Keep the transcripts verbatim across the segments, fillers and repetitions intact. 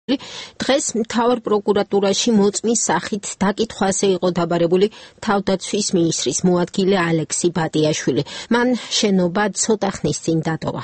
დღეს მთავარ პროკურატურაში მოწმის სახით დაკითხვაზე იყო დაბარებული თავდაცვის მინისტრის მოადგილე ალექსი ბატიაშვილი. მან შენობა ცოტა ხნის წინ დატოვა.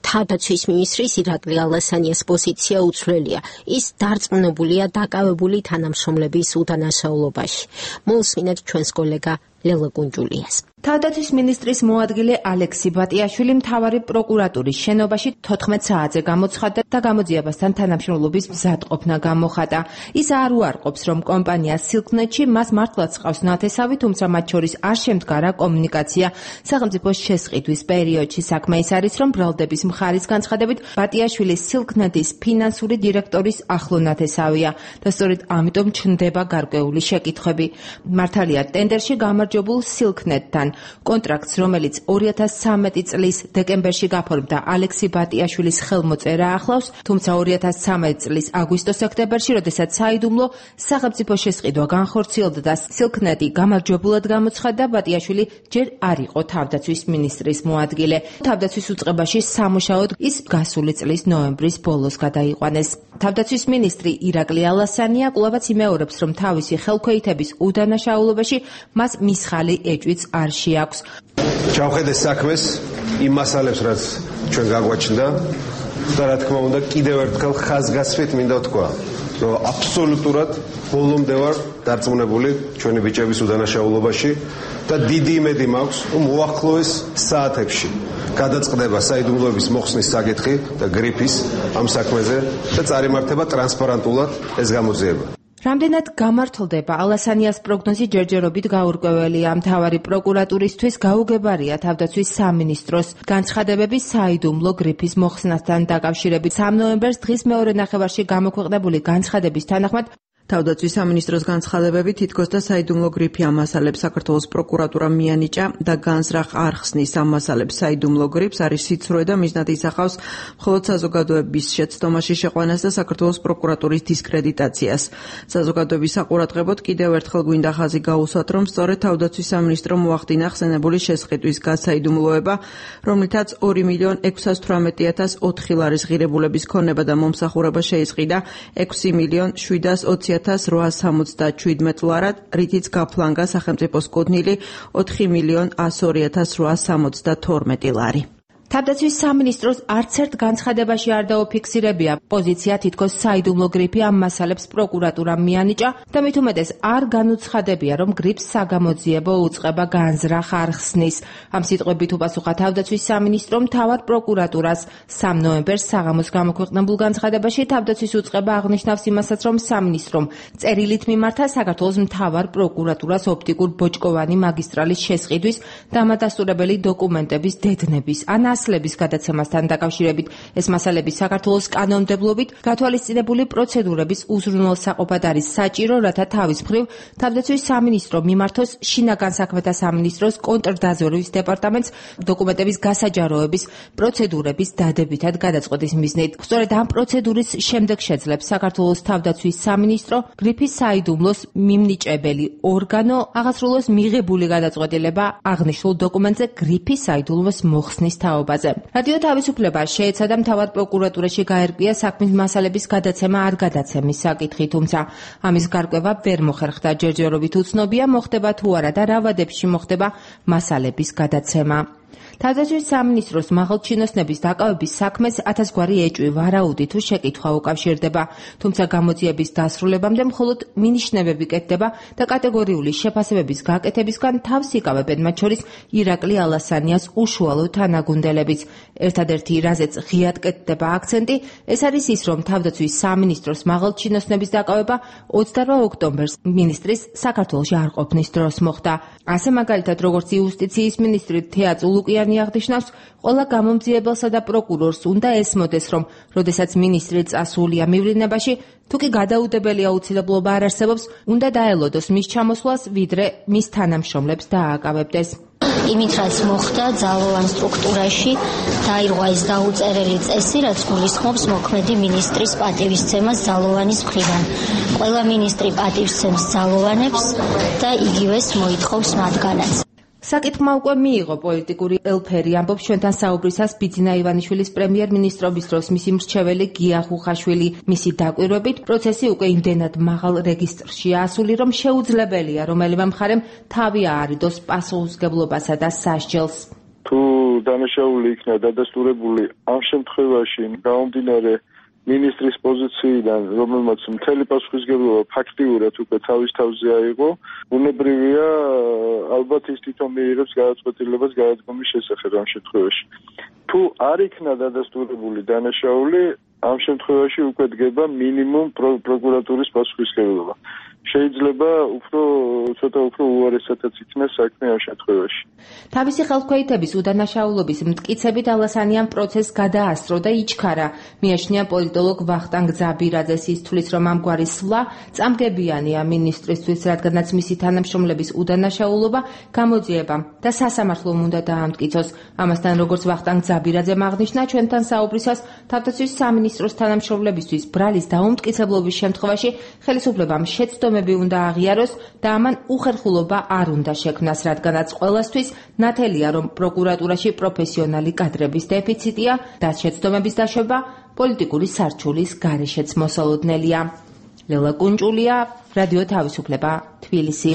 თავდაცვის მინისტრის ირაკლი ალასანიას პოზიცია უცვლელია. ის დარწმუნებულია დაკავებული თანამშრომლების უდანაშაულობაში. მოусმინეთ ჩვენს კოლეგა ლელა გუნჯულიას. თავდაცვის მინისტრის მოადგილე ალექსი ბატიაშვილი მთავარი პროკურატურის შენობაში თოთხმეტ საათზე გამოცხადდა და გამოძიებასთან თანამშრომლობის მზადყოფნა გამოხატა. ის არ უარყოფს, რომ კომპანია სილკნეტში მას მართლაც ჰყავს ნათესავი, თუმცა მათ შორის არ შემდგარა კომუნიკაცია. სახელმწიფოს შესყიდვის პერიოდში საქმე ის არის, რომ ბრალდების მხარის განცხადებით ბატიაშვილი სილკნეტის ფინანსური დირექტორის ახლო ნათესავია და სწორედ ამიტომ ჩნდება გარკვეული შეკითხვები. მართალია ტენდერში გამარჯვებულ სილკნეტთან კონტრაქტს, რომელიც ორი ათას ცხრამეტი წლის დეკემბერში გაფორმდა, ალექსი ბატიაშვილის ხელმოწერა ახლავს, თუმცა ორი ათას ცხრამეტი წლის აგვისტო-სექტემბერში, როდესაც საიდუმლო სახელმწიფო შესყიდვა განხორციელდა და სილკნეტი გამარჯვებულად გამოცხადდა, ბატიაშვილი ჯერ არ იყო თავდაცვის მინისტრის მოადგილე. თავდაცვის უწყებაში სამუშაოდ ის გასული წლის ნოემბრის ბოლოს გადაიყვანეს. თავდაცვის მინისტრი ირაკლი ალასანია კვლავაც იმეორებს, რომ თავისი ხელქვეითების უდანაშაულობაში მას მისხალი ეჭვიც არ შეაქვს. ჩავხედე საქმეს იმ მასალებს, რაც ჩვენ გაგვაჩნდა და რა თქმა უნდა კიდევ ერთხელ ხაზგასმით მინდა ვთქვა, რომ აბსოლუტურად ბოლომდე ვარ დარწმუნებული ჩვენი ბიჭების უდანაშაულობაში და დიდი იმედი მაქვს, რომ უახლოეს საათებში გადაწყდება საიდუმლოების მოხსნის საკითხი და გრიფის ამ საქმეზე და წარიმართება ტრანსპარენტულად ეს გამოძიება. რამდენად გამართლდება ალასანიას პროგნოზი ჯერჯერობით გაურკვეველია. მთავარი პროკურატურისთვის გაუგებარია თავდაცვის სამინისტროს განცხადებები საიდუმლო გრიფის მოხსნასთან დაკავშირებით. სამი ნოემბერს დღის მეორე ნახევარში გამოქვეყნებული განცხადების თანახმად თავდაცვის სამინისტროს განცხადებები თითქოს და საიდუმლო გრიფი ამ მასალებს საქართველოს პროკურატურამ მიანიჭა და განზრახ არ ხსნის ამ მასალებს საიდუმლო გრიფს, არის სიცრუე და მიზნად ისახავს მხოლოდ საზოგადოების შეცდომაში შეყვანას და საქართველოს პროკურატურის დისკრედიტაციას. საზოგადოების საყურადღებოდ კიდევ ერთხელ გვინდა ხაზი გაუსვათ, რომ სწორედ თავდაცვის სამინისტრომ მოახდინა ხსენებული შესყიდვის გასაიდუმლოება, რომლითაც ორი მილიონ ექვსას თვრამეტი ათას ოთხი ლარის ღირებულების ქონება და მომსახურება შეისყიდა ექვსი მილიონ შვიდას ოცი ათას რვაას სამოცდაშვიდმეტ ლარად, რითიც გაფლანგა სახელმწიფოს კუთვნილი ოთხი მილიონ ას ორი ათას რვაას სამოცდათორმეტი ლარი. თავდაცვის სამინისტროს არც ერთ განცხადებაში არ დაუფიქსირებია პოზიცია თითქოს საიდუმლო გრიფი ამ მასალებს პროკურატურამ მიანიჭა და მით უმეტეს არ განუცხადებია, რომ გრიფს საგამოძიებო უწყება განზრახ არ ხსნის. ამ სიტყვებით უპასუხა თავდაცვის სამინისტრომ მთავარ პროკურატურას. სამი ნოემბერს საღამოს გამოქვეყნებულ განცხადებაში თავდაცვის უწყება აღნიშნავს იმასაც, რომ სამინისტრომ წერილით მიმართა საქართველოს მთავარ პროკურატურას ოპტიკურ ბოჭკოვანი მაგისტრალის შესყიდვის დამადასტურებელი დოკუმენტების დედნების ან ასლების გადაცემასთან დაკავშირებით. ეს მასალები საქართველოს კანონმდებლობით გათვალისწინებული პროცედურების უზრუნველსაყოფად არის საჭირო, რათა თავის მხრივ თავდაცვის სამინისტრო მიმართოს შინაგან საქმეთა სამინისტროს კონტრდაზვერვის დეპარტამენტს დოკუმენტების გასაჯაროების პროცედურების დადებითად გადაწყვეტის მიზნით. სწორედ ამ პროცედურის შემდეგ შეძლებს საქართველოს თავდაცვის სამინისტრო გრიფის საიდუმლოს მიმნიჭებელი ორგანო აღასრულოს მიღებული გადაწყვეტილება აღნიშნულ დოკუმენტზე გრიფის საიდუმლოს მოხსნის თაობაზე. რადიო თავისუფლება შეეცადა მთავარ პროკურატურაში გაერკვია საქმის მასალების გადაცემა არ გადაცემის საკითხი, თუმცა ამის გარკვევა ვერ მოხერხდა. ჯერჯერობით უცნობია მოხდება თუ არა და რა ვადებში მოხდება მასალების გადაცემა. თავდაცვის სამინისტროს მაღალჩინოსნების დაკავების საქმეს ათასგვარი ეჭვი ვარაუდი თუ შეკითხვა უკავშირდება, თუმცა გამოძიების დასრულებამდე მხოლოდ მინიშნებები კეთდება და კატეგორიული შეფასებების გაკეთებისგან თავს იკავებენ, მათ შორის ირაკლი ალასანიას უშუალო თანაგუნდელებიც. ერთადერთი, რაზეც ღიად კეთდება აქცენტი, ეს არის ის, რომ თავდაცვის სამინისტროს მაღალჩინოსნების დაკავება ოცდარვა ოქტომბერს მინისტრის საქართველოში არ ყოფნის დროს მოხდა. ასე მაგალითად, როგორც იუსტიციის მინისტრი თეა წულუკიანი აღნიშნავს, ყველა გამომძიებელსა და პროკურორს უნდა ესმოდეს, რომ როდესაც მინისტრი წასულია მივლინებაში, თუ კი გადაუდებელი აუცილებლობა არ არსებობს, უნდა დაელოდოს მის ჩამოსვლას, ვიდრე მის თანამშრომლებს დააკავებდეს. იმით, რაც მოხდა ძალოვან სტრუქტურაში, დაირღვა ეს დაუწერელი წესი, რაც გულისხმობს მოქმედი მინისტრის პატივისცემას ძალოვანის მხრიდან. ყველა მინისტრი პატივისცემს ძალოვანებს და იგივეს მოითხოვს მათგანაც. საკითხმა უკვე მიიღო პოლიტიკური ელფერი, ამბობს ჩვენთან საუბრისას ბიძინა ივანიშვილის პრემიერ-მინისტრობის დროს მისი მრჩეველი გია ხუხაშვილი. მისი დაკვირვებით პროცესი უკვე იმდენად მაღალ რეგისტრში ასული, რომ შეუძლებელია რომელიმე მხარემ თავი აარიდოს პასუხისმგებლობასა და სასჯელს. თუ დანაშაული იქნა დადასტურებული ამ შემთხვევაში გამომდინარე მინისტრის პოზიციიდან, რომელმაც მთელი პასუხისმგებლობა ფაქტიურად უკვე თავის თავზე აიღო, უნებრივია ალბათ ის თვითონ მიიღებს გადაწყვეტილებას გადადგომის შესახებ ამ შემთხვევაში. თუ არ იქნა დადასტურებული დანაშაული, ამ შემთხვევაში უკვე დგება მინიმუმ პროკურატურის პასუხისმგებლობა. შეიძლება უფრო ცოტა უფრო უარესადაც იქნას საქმე ამ შემთხვევაში. თავისი ხელქვეითების უდანაშაულობის მტკიცებით ალასანიამ პროცესს გადაასწრო და იჩქარა. მიაჩნია პოლიტოლოგ ვახტანგ ძაბირაძეს, ის თვლის, რომ ამგვარი სვლა წამგებიანია მინისტრისთვის, რადგანაც მისი თანამშრომლების უდანაშაულობა გამოძიებამ და სასამართლომ უნდა დაამტკიცოს. ამასთან, როგორც ვახტანგ ძაბირაძემ აღნიშნა ჩვენთან საუბრისას, თავდაცვის სამინისტროს თანამშრომლებისთვის ბრალის დაუმტკიცებლობის შემთხვევაში ხელისუფლებამ შეცდომები უნდა აღიაროს და ამან უხერხულობა არ უნდა შექმნას, რადგანაც ყველასთვის ნათელია, რომ პროკურატურაში პროფესიონალი კადრების დეფიციტია და შეცდომების დაშვება პოლიტიკური სარჩულის გარეშეც მოსალოდნელია. ლელა კუნჭულია, რადიო თავისუფლება, თბილისი.